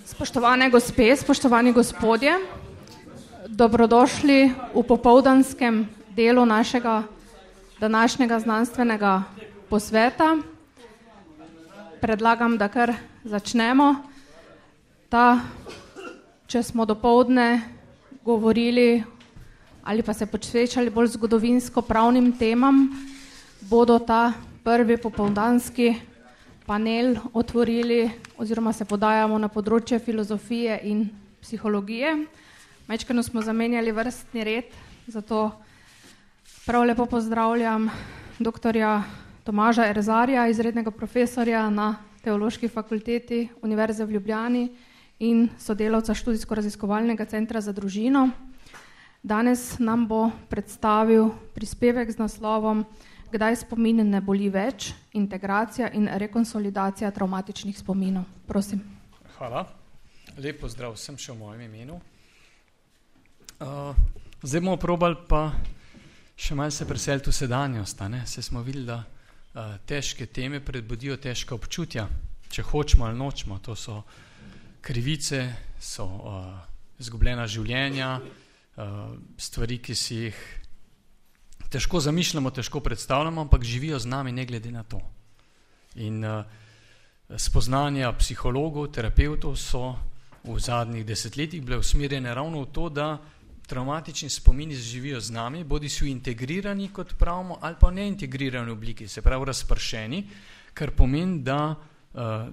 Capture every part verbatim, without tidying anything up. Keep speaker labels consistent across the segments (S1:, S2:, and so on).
S1: Spoštovane gospe, spoštovani gospodje, dobrodošli v popoldanskem delu našega današnjega znanstvenega posveta. Predlagam, da kar začnemo. Ta, če smo dopoldne govorili ali pa se posvečali bolj zgodovinsko pravnim temam, bodo ta prvi popoldanski panel otvorili oziroma se podajamo na področje filozofije in psihologije. Majčkeno smo zamenjali vrstni red, zato prav lepo pozdravljam doktorja Tomaža Erzarja, izrednega profesorja na Teološki fakulteti Univerze v Ljubljani in sodelavca študijsko-raziskovalnega centra za družino. Danes nam bo predstavil prispevek z naslovom Kdaj spomin ne boli več, integracija in rekonsolidacija travmatičnih spominov. Prosim.
S2: Hvala. Lep pozdrav vsem še v mojem imenu. Uh, zdaj bomo probali pa še malo se preseliti v sedanjost. Se smo videli, da uh, težke teme predbudijo težka občutja, če hočemo ali nočemo. To so krivice, so uh, izgubljena življenja, uh, stvari, ki si jih težko zamišljamo, težko predstavljamo, ampak živijo z nami ne glede na to. In uh, spoznanja psihologov, terapeutov so v zadnjih desetletjih bile usmerjene ravno v to, da travmatični spomini živijo z nami, bodi so integrirani, kot pravimo, ali pa neintegrirani obliki, se pravi razpršeni, kar pomeni, da uh,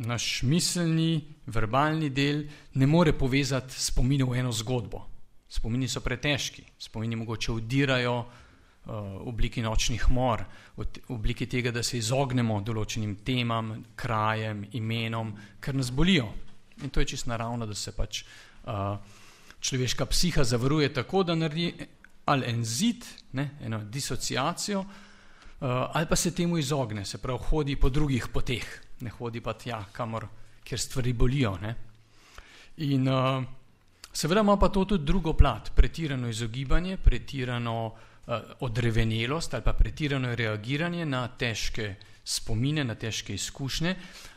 S2: naš miselni, verbalni del ne more povezati spominov v eno zgodbo. Spomini so pretežki, spomini mogoče vdirajo uh, v obliki nočnih mor, v obliki tega, da se izognemo določenim temam, krajem, imenom, ker nas bolijo. In to je čisto naravno, da se pač uh, človeška psiha zavaruje tako, da naredi ali en zid, ne, eno disociacijo, uh, ali pa se temu izogne, se pravi, hodi po drugih poteh, ne hodi pa tja, kamor, kjer stvari bolijo. Ne. In uh, seveda ima pa to tudi drugo plat, pretirano izogibanje, pretirano uh, odrevenelost ali pa pretirano reagiranje na težke spomine, na težke izkušnje,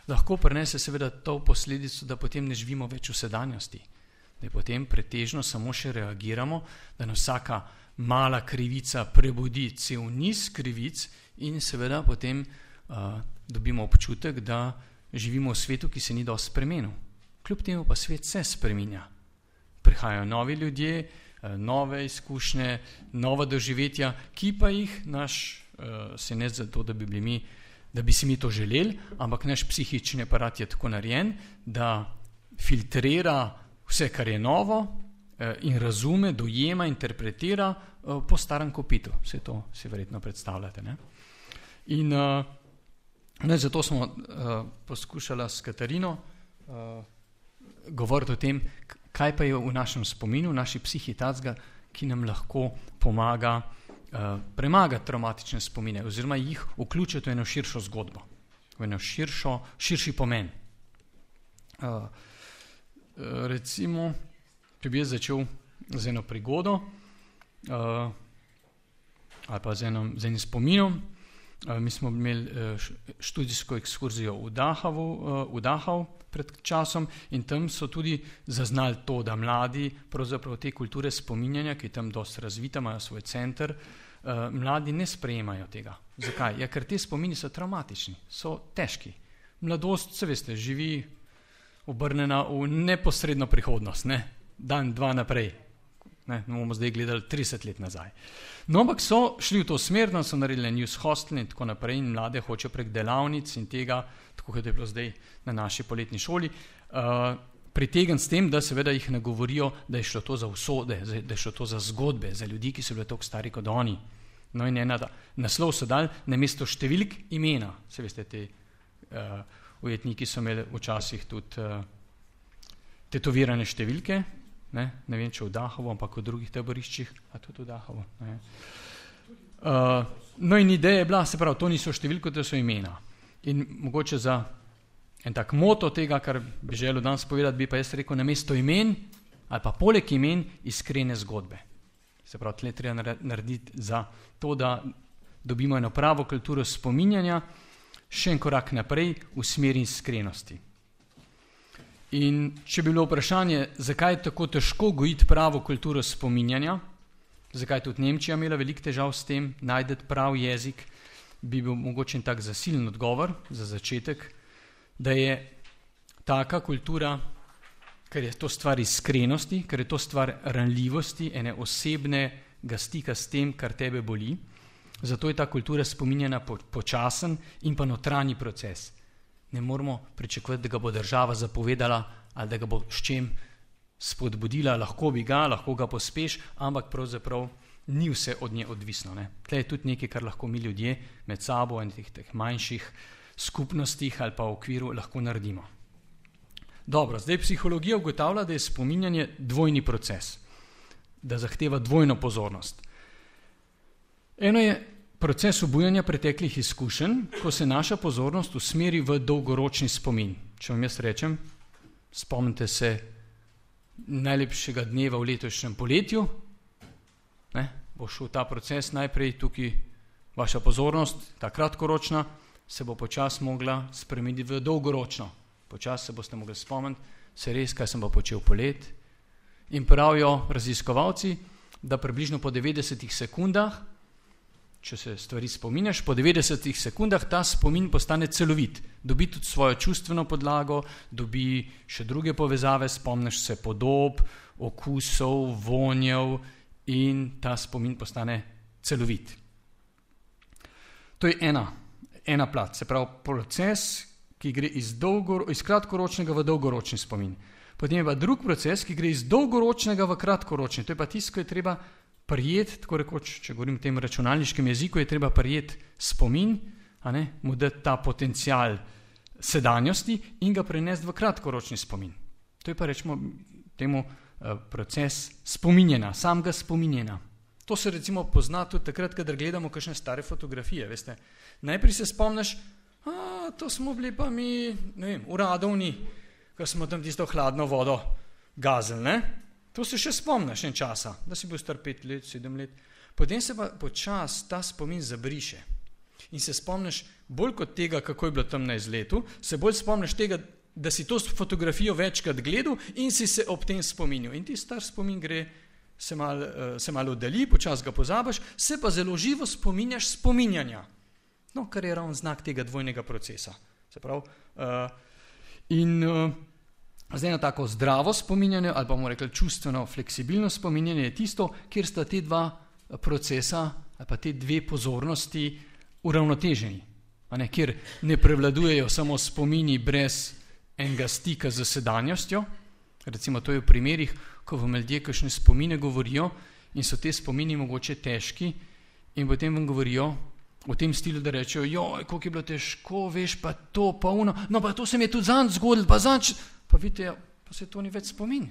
S2: lahko prinese seveda to posledico, da potem ne živimo več v sedanjosti, da potem pretežno samo še reagiramo, da nas vsaka mala krivica prebudi cel niz krivic in seveda potem uh, dobimo občutek, da živimo v svetu, ki se ni dosti spremenil. Kljub temu pa svet se spreminja. Prihajajo novi ljudje, nove izkušnje, nova doživetja, ki pa jih naš, se ne zato, da bi bili mi, da bi si mi to želeli, ampak naš psihični aparat je tako narejen, da filtrira vse, kar je novo in razume, dojema, interpretira po starem kopitu. Vse to si verjetno predstavljate. Ne? In ne, zato smo poskušali s Katarino govoriti o tem, kaj pa je v našem spominu, v naši psihi tacga, ki nam lahko pomaga uh, premagati traumatične spomine oziroma jih vključiti v eno širšo zgodbo, v eno širšo, širši pomen. Uh, recimo, če bi jaz začel z eno prigodo uh, ali pa z, eno, z enim spominom. Uh, mi smo imeli uh, študijsko ekskurzijo v Dahavu, uh, v Dahav, pred časom in tam so tudi zaznali to, da mladi pravzaprav te kulture spominjanja, ki je tam dosti razvita, imajo svoj center, uh, mladi ne sprejemajo tega. Zakaj? Ja, ker te spomini so traumatični, so težki. Mladost, se veste, živi obrnjena v neposredno prihodnost, ne? Dan, dva naprej. Ne, bomo zdaj gledali trideset let nazaj. No, ampak so šli v to smer, so naredili news hostel in tako naprej in mlade hoče prek delavnic in tega, tako kot je bilo zdaj na naši poletni šoli, uh, pritegniti s tem, da seveda jih ne govorijo, da je šlo to za usode, da je šlo to za zgodbe, za ljudi, ki so bili toliko stari kot oni. No in ena, da naslov so dali namesto številk imena. Se veste, te uh, ujetniki so imeli včasih tudi uh, tetovirane številke. Ne, ne vem, če v Dahavu, ampak v drugih taboriščih, a tudi v Dahavu. Ne. Uh, no in ideja je bila, se pravi, to niso številke, to so imena. In mogoče za en tak moto tega, kar bi želel danes povedati, bi pa jaz rekel, namesto imen ali pa poleg imen iskrene zgodbe. Se pravi, tle treba narediti za to, da dobimo eno pravo kulturo spominjanja, še en korak naprej v smeri iskrenosti. In če bi bilo vprašanje, zakaj je tako težko gojiti pravo kulturo spominjanja, zakaj tudi Nemčija imela veliko težav s tem, najdeti prav jezik, bi bil mogoče en tak zasilen odgovor za začetek, da je taka kultura, ker je to stvar iskrenosti, ker je to stvar ranljivosti, ene osebnega stika s tem, kar tebe boli. Zato je ta kultura spominjanja počasen in pa notranji proces. Ne moramo pričakovati, da ga bo država zapovedala ali da ga bo s čem spodbudila, lahko bi ga, lahko ga pospeš, ampak pravzaprav ni vse od nje odvisno. Ne. Tle je tudi nekaj, kar lahko mi ljudje med sabo in teh, teh manjših skupnostih ali pa v okviru lahko naredimo. Dobro, zdaj psihologija ugotavlja, da je spominjanje dvojni proces, da zahteva dvojno pozornost. Eno je proces obujanja preteklih izkušenj, ko se naša pozornost usmeri v dolgoročni spomin. Če vam jaz rečem, spomnite se najlepšega dneva v letošnjem poletju, ne, bo šel ta proces najprej tukaj, vaša pozornost, ta kratkoročna, se bo počas mogla spremeniti v dolgoročno. Počas se boste mogli spomniti, se res, kaj sem pa počel polet. In pravijo raziskovalci, da približno po devetdesetih sekundah, če se stvari spominjaš, po devetdesetih sekundah ta spomin postane celovit, dobi tudi svojo čustveno podlago, dobi še druge povezave, spomniš se podob, okusov, vonjev in ta spomin postane celovit. To je ena, ena plat, se pravi proces, ki gre iz, dolgo, iz kratkoročnega v dolgoročni spomin. Potem je pa drug proces, ki gre iz dolgoročnega v kratkoročni. To je pa tisto, ko je treba prijeti, tako rekoč, če govorim v tem računalniškem jeziku, je treba prijeti spomin, a ne, mu dati ta potencial sedanjosti in ga prenesti v kratkoročni spomin. To je pa rečemo temu uh, proces spominjena, samega spominjena. To se recimo pozna tudi takrat, kadar gledamo kakšne stare fotografije, veste. Najprej se spomniš, a, to smo bili pa mi, ne vem, uradovni, ko smo tam tisto hladno vodo gazili, ne? To se še spomniš en časa, da si bil star pet let, sedem let. Potem se pa počas ta spomin zabriše. In se spomniš bolj kot tega, kako je bilo tam na izletu, se bolj spomniš tega, da si to fotografijo večkrat gledal in si se ob tem spominjal. In ti star spomin gre, se malo se malo oddalji, počas ga pozabiš, se pa zelo živo spominjaš spominjanja. No, kar je ravno znak tega dvojnega procesa. Se pravi, uh, in uh, zdaj na tako zdravo spominjanje, ali pa bomo rekli čustveno fleksibilno spominjanje, je tisto, kjer sta te dva procesa, ali pa te dve pozornosti uravnoteženi, a ne, kjer ne prevladujejo samo spomini brez enega stika z sedanjostjo. Recimo to je v primerih, ko vam ljudje kakšne spomine govorijo in so te spomini mogoče težki in potem vam govorijo v tem stilu, da rečejo, joj, koliko je bilo težko, veš, pa to, pa ono, no pa to se mi je tudi zanj zgodilo, pa zanj, pa vidite, pa se to ni več spomin.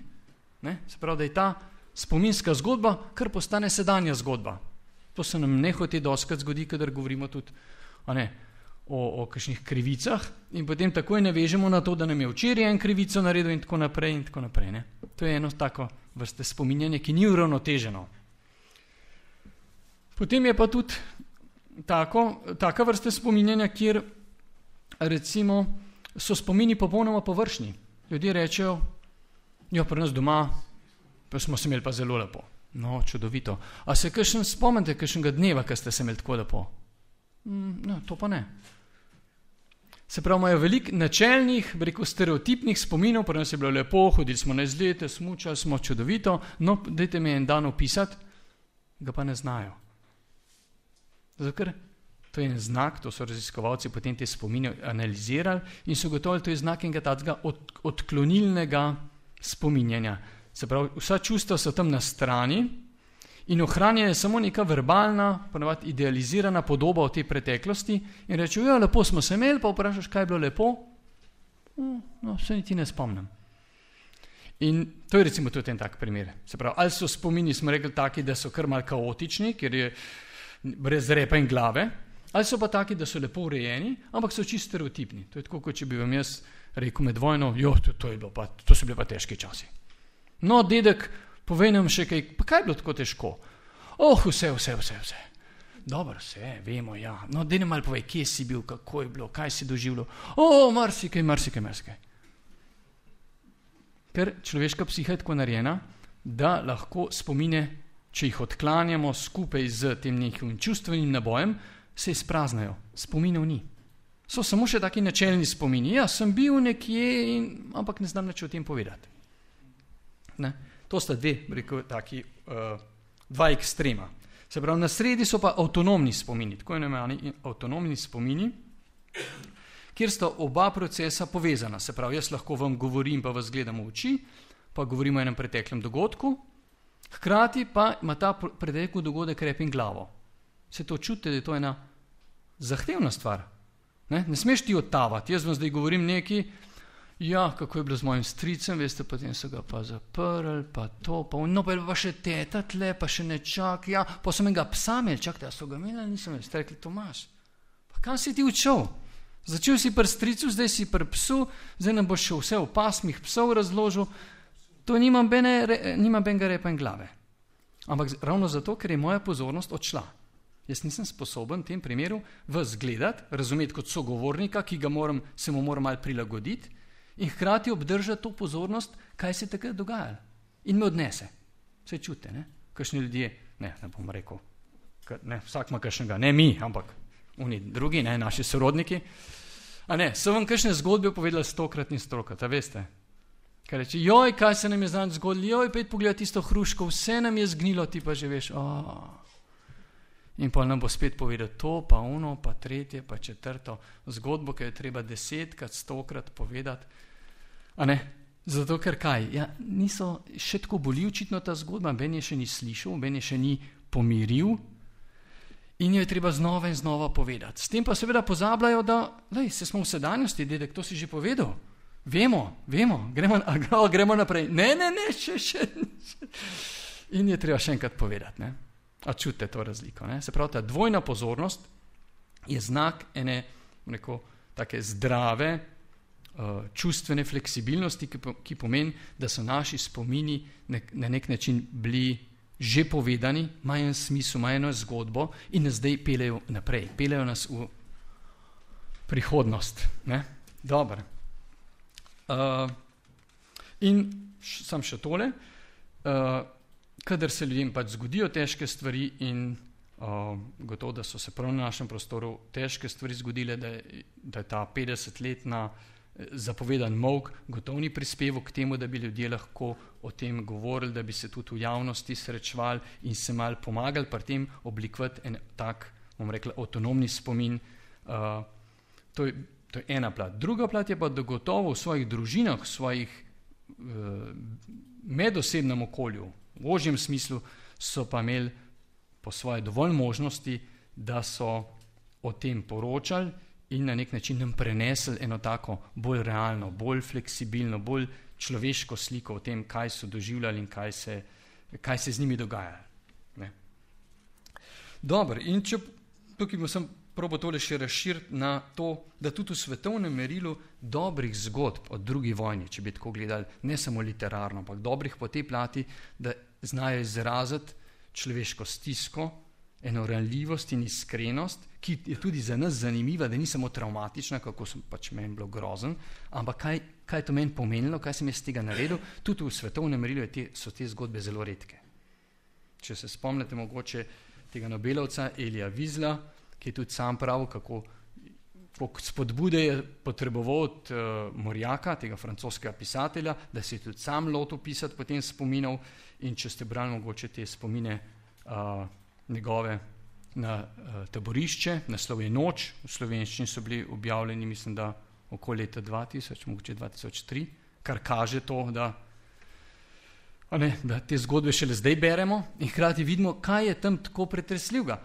S2: Ne? Se pravi, da je ta spominska zgodba, kar postane sedanja zgodba. To se nam nehote dostikrat zgodi, kadar govorimo tudi a ne, o, o kakšnih krivicah in potem takoj navežemo na to, da nam je včeraj en krivico naredil in tako naprej in tako naprej. Ne? To je eno tako vrste spominjanje, ki ni uravnoteženo. Potem je pa tudi tako, taka vrsta spominjanja, kjer recimo so spomini popolnoma površni. Ljudje rečejo, jo, pri nas doma, pa smo se imeli pa zelo lepo. No, čudovito. A se kakšen spomnite, kakšnega dneva, ko ste se imeli tako lepo? Mm, no, to pa ne. Se pravi, imajo veliko načelnih, rekel, stereotipnih spominov, pri nas je bilo lepo, hodili smo na izlete, smučali smo, čudovito, no, dajte mi en dan opisati, ga pa ne znajo. Zato, ker to je en znak, to so raziskovalci potem te spomine analizirali in so gotovili, to je znak enega takega od, odklonilnega spominjanja. Se pravi, vsa čustva so tam na strani in ohranja je samo neka verbalna, ponavadi idealizirana podoba o tej preteklosti in rečejo, ja, lepo smo se imeli, pa vprašaš, kaj je bilo lepo? No, se niti ne spomnim. In to je recimo tudi en tak primer. Se pravi, ali so spomini, smo rekli, taki, da so kar malo kaotični, ker je brez repa in glave, ali so pa taki, da so lepo urejeni, ampak so čisto stereotipni. To je tako, kot če bi vam jaz rekel med vojno, jo, to, to, je bilo pa, to so bili pa težki časi. No, dedek, povej nam še kaj, pa kaj je bilo tako težko? Oh, vse, vse, vse, vse. Dobro, vse, vemo, ja. No, dej nam malo povej, kje si bil, kako je bilo, kaj si doživljal. Oh, marsikaj, marsikaj, marsikaj. Ker človeška psiha je tako narejena, da lahko spomine, če jih odklanjamo skupaj z tem nekim čustvenim nabojem, se izpraznajo. Spominov ni. So samo še taki načelni spomini. Ja, sem bil nekje, in, ampak ne znam nič o tem povedati. Ne? To sta dve, rekel, taki, uh, dva ekstrema. Se pravi, na sredi so pa avtonomni spomini, tako imenovani avtonomni spomini, kjer sta oba procesa povezana. Se pravi, jaz lahko vam govorim, pa vas gledam v oči, pa govorimo o enem preteklem dogodku, hkrati pa ima ta pretekli dogodek rep in glavo. Se to čutite, da je to ena zahtevna stvar. Ne, ne smeš ti odtavati. Jaz vam zdaj govorim nekaj, ja, kako je bilo z mojim stricem, veste, potem so ga pa zaprli, pa to, pa no, pa je pa še teta tle, pa še nečak, ja, pa so menega psa imeli, čak, da so ga imeli, nisem imeli, ste rekli, Tomaž, pa kam si ti učil? Začel si pri stricu, zdaj si pri psu, zdaj nam boš še vse v pasmih psov razložil, to nima benga repa in glave. Ampak ravno zato, ker je moja pozornost odšla. Jaz nisem sposoben v tem primeru vas gledati, razumeti kot sogovornika, ki ga moram, se mu moram malo prilagoditi, in hkrati obdržati to pozornost, kaj se takrat dogaja. In me odnese. Vse čute, ne? Kakšni ljudje, ne, ne bom rekel, ne, vsak ima kakšnega, ne mi, ampak oni drugi, ne, naši sorodniki. A ne, so vam kakšne zgodbe povedali stokrat in stokrat, a veste? Kaj reči, joj, kaj se nam je znam zgodilo, joj, pet pogleda tisto hruško, vse nam je zgnilo, ti pa že veš, oh. In pa nam bo spet povedal to, pa ono, pa tretje, pa četrto zgodbo, ki jo je treba desetkrat, stokrat povedati. A ne? Zato, ker kaj? Ja, niso, še tako boli očitno ta zgodba, ben je še ni slišal, ben je še ni pomiril in jo je treba znova in znova povedati. S tem pa seveda pozabljajo, da, lej, se smo v sedanjosti, dedek, to si že povedal. Vemo, vemo, gremo, gremo naprej. Ne, ne, ne, še, še. In je treba še enkrat povedati, ne? A čutite to razliko, ne? Se pravi, ta dvojna pozornost je znak ene, neko, take zdrave, uh, čustvene fleksibilnosti, ki, po, ki pomeni, da so naši spomini nek, na nek način bili že povedani, imajo en smisel, imajo eno zgodbo in nas zdaj peljejo naprej, peljejo nas v prihodnost, ne? Dobro. Uh, in š, sam še tole, uh, kadar se ljudem pač zgodijo težke stvari in uh, gotovo, da so se prav na našem prostoru težke stvari zgodile, da je, da je ta petdesetletna zapovedan molk gotovo ni prispeval k temu, da bi ljudje lahko o tem govorili, da bi se tudi v javnosti srečevali in se mal pomagali pri tem oblikovati en tak, bom rekla, avtonomni spomin. Uh, to, je, to je ena plat. Druga plat je pa, da gotovo v svojih družinah, v svojih uh, medosebnem okolju, v ožjem smislu, so pa imeli po svoje dovolj možnosti, da so o tem poročali in na nek način nam prenesli eno tako bolj realno, bolj fleksibilno, bolj človeško sliko o tem, kaj so doživljali in kaj se, kaj se z njimi dogaja. Ne? Dobro, in če tukaj sem probo tole še razširiti na to, da tudi v svetovnem merilu dobrih zgodb o drugi vojni, če bi tako gledali, ne samo literarno, ampak dobrih po tej plati, da znajo izraziti človeško stisko, eno ranljivost in iskrenost, ki je tudi za nas zanimiva, da ni samo traumatična, kako sem pač meni bilo grozen, ampak kaj, kaj je to meni pomenilo, kaj sem jaz tega naredil, tudi v svetovnem merilu te, so te zgodbe zelo redke. Če se spomnite mogoče tega Nobelovca Elija Wiesla, ki je tudi sam pravil, kako spodbude je potreboval od uh, Morjaka, tega francoskega pisatelja, da se je tudi sam lotil pisati potem spominov, in če ste brali mogoče te spomine uh, njegove na uh, taborišče, naslov je Noč, v slovenščini so bili objavljeni, mislim, da okoli leta dva tisoč, mogoče dva tisoč tri, kar kaže to, da, ne, da te zgodbe šele zdaj beremo in hkrati vidimo, kaj je tam tako pretresljivega.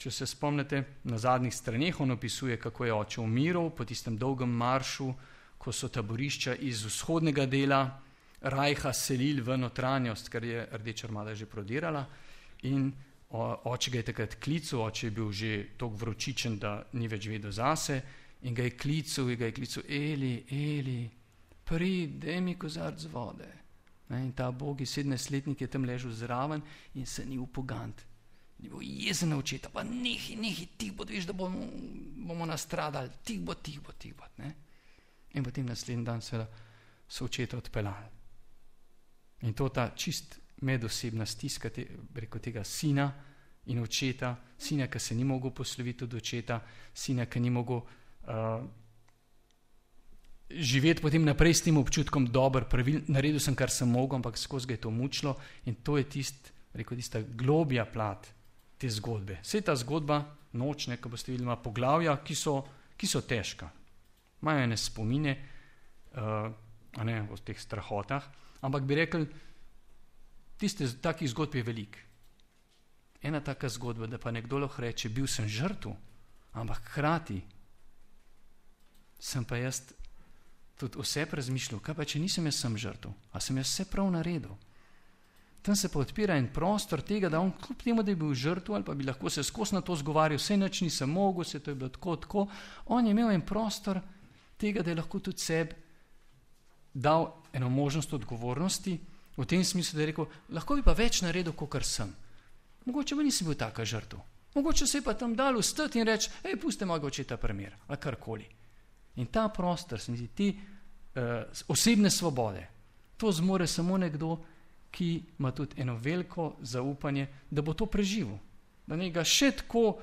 S2: Če se spomnite, na zadnjih straneh on opisuje, kako je oče umiral po tistem dolgem maršu, ko so taborišča iz vzhodnega dela Rajha selili v notranjost, ker je Rdeča armada že prodirala, in oče ga je takrat klical, oče je bil že toliko vročičen, da ni več vedel zase, in ga je klical, in ga je klical, Eli, Eli, prid, daj mi kozarc vode. Ne, in ta bogi sedemnajstletnik je tam ležal zraven in se ni upogant. Ni bil jezen na očeta, pa nehi, nehi, tih bo, veš, da bomo, bomo nastradali, tih bo, tih bo, tih bo. Ne? In potem naslednji dan seveda so očeta odpeljali. In to ta čist medosebna stiska te, preko tega sina in očeta, sina, ki se ni mogel posloviti od očeta, sina, ki ni mogel uh, živeti potem naprej s tem občutkom, dober, pravil, naredil sem, kar sem mogel, ampak skozi ga je to mučilo in to je tist, rekel, tista globja plat te zgodbe. Vse ta zgodba, nočne, ko boste videli, ima poglavja, ki so, ki so težka. Imajo ene spomine uh, a ne, o teh strahotah, ampak bi rekel, tiste takih zgodb je velik. Ena taka zgodba, da pa nekdo lahko reče, bil sem žrtev, ampak hkrati sem pa jaz tudi vse razmišljal, kaj pa če nisem jaz sem žrtev, a sem jaz vse prav naredil. Tam se pa odpira en prostor tega, da on kljub temu, da je bil žrtev ali pa bi lahko se skozi na to zgovarjal, vse nič nisem mogel, se to je bilo tako, tako, on je imel en prostor tega, da je lahko tudi sebi dal eno možnost odgovornosti, v tem smislu, da je rekel, lahko bi pa več naredil, kakor sem. Mogoče pa nisem bil taka žrtev. Mogoče se je pa tam dal vstati in reči, ej, pusti mojega očeta primer, ali karkoli. In ta prostor, se mi zdi, ti uh, osebne svobode, to zmore samo nekdo, ki ima tudi eno veliko zaupanje, da bo to preživel. Da njega še tako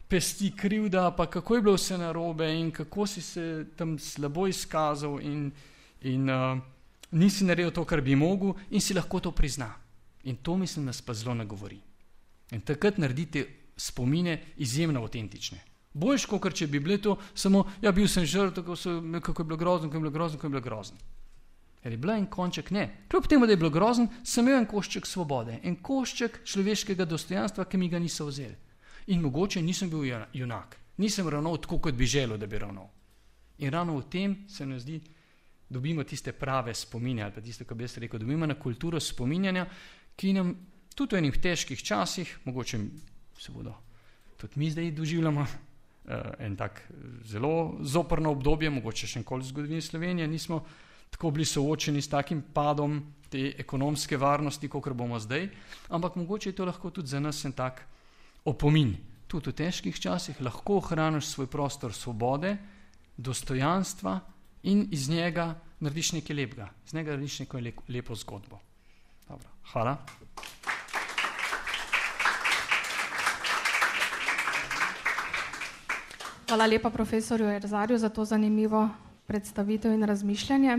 S2: pesti krivda, pa kako je bilo vse narobe in kako si se tam slabo izkazal in, in uh, nisi naredil to, kar bi mogel in si lahko to prizna. In to, mislim, nas pa zelo nagovori. In takrat naredite spomine izjemno avtentične. Boljš, kot če bi bile to samo, ja, bil sem žrtev, kako, so, kako je bilo grozno, kako je bilo grozno, kako je bilo grozno. Ker je bila en konček, ne. Kljub temu, da je bilo grozno, sem imel en košček svobode, en košček človeškega dostojanstva, ki mi ga niso vzeli. In mogoče nisem bil junak, nisem ravnal tako, kot bi želel, da bi ravnal. In ravno v tem se nam zdi, dobimo tiste prave spomine, ali pa tiste, ko bi jaz rekel, dobimo na kulturo spominjanja, ki nam tudi v enih težkih časih, mogoče se bodo tudi mi zdaj doživljamo, en tak zelo zoprno obdobje, mogoče še enkoli v zgodovini Slovenije, nismo tako bili soočeni s takim padom te ekonomske varnosti, kakor bomo zdaj, ampak mogoče je to lahko tudi za nas en tak opomin. Tudi v težkih časih lahko ohraniš svoj prostor svobode, dostojanstva in iz njega narediš nekaj lepega, iz njega narediš neko lepo zgodbo. Dobro, hvala.
S1: Hvala lepa profesorju Erzarju za to zanimivo predstavitev in razmišljanje.